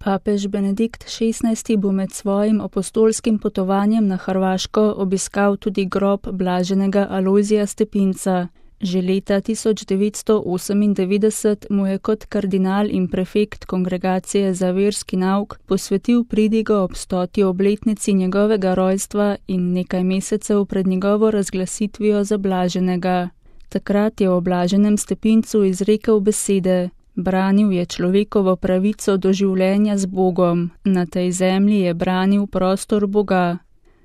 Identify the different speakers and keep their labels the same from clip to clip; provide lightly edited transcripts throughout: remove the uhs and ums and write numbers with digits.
Speaker 1: Papež Benedikt XVI. Bo med svojim apostolskim potovanjem na Hrvaško obiskal tudi grob blaženega Alojzija Stepinca. Že leta 1998 mu je kot kardinal in prefekt Kongregacije za verski nauk posvetil pridigo ob 100. obletnici njegovega rojstva in nekaj mesecev pred njegovo razglasitvijo za blaženega. Takrat je o blaženem Stepincu izrekel besede: branil je človekovo pravico do življenja z Bogom, na tej zemlji je branil prostor Boga.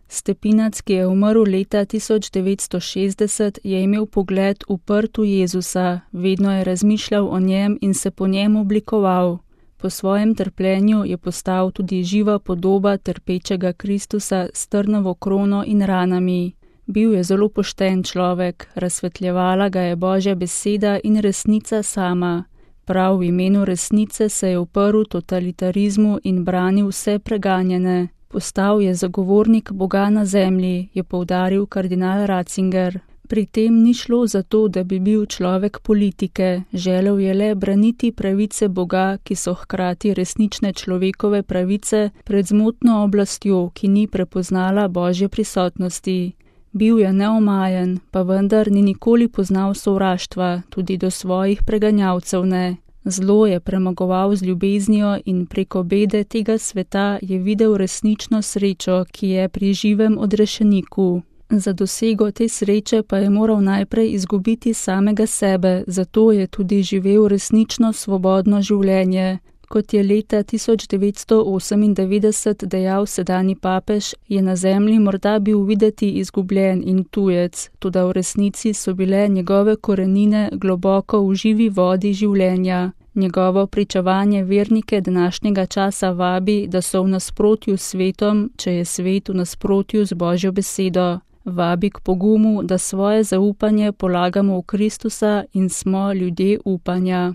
Speaker 1: Stepinac, ki je umrl leta 1960, je imel pogled uprt v Jezusa, vedno je razmišljal o njem in se po njem oblikoval. Po svojem trpljenju je postal tudi živa podoba trpečega Kristusa s trnovo krono in ranami. Bil je zelo pošten človek, razsvetljevala ga je Božja beseda in resnica sama. Prav v imenu resnice se je uprl totalitarizmu in branil vse preganjene. Postal je zagovornik Boga na zemlji, je poudaril kardinal Ratzinger. Pri tem ni šlo za to, da bi bil človek politike, želel je le braniti pravice Boga, ki so hkrati resnične človekove pravice pred zmotno oblastjo, ki ni prepoznala Božje prisotnosti. Bil je neomajen, pa vendar ni nikoli poznal sovraštva, tudi do svojih preganjavcev ne. Zlo je premagoval z ljubeznijo in preko bede tega sveta je videl resnično srečo, ki je pri živem odrešeniku. Za dosego te sreče pa je moral najprej izgubiti samega sebe, zato je tudi živel resnično svobodno življenje. Kot je leta 1998 dejal sedanji papež, je na zemlji morda bil videti izgubljen in tujec, toda v resnici so bile njegove korenine globoko v živi vodi življenja. Njegovo pričevanje vernike današnjega časa vabi, da so v nasprotju s svetom, če je svet v nasprotju z Božjo besedo. Vabi k pogumu, da svoje zaupanje polagamo v Kristusa in smo ljudje upanja.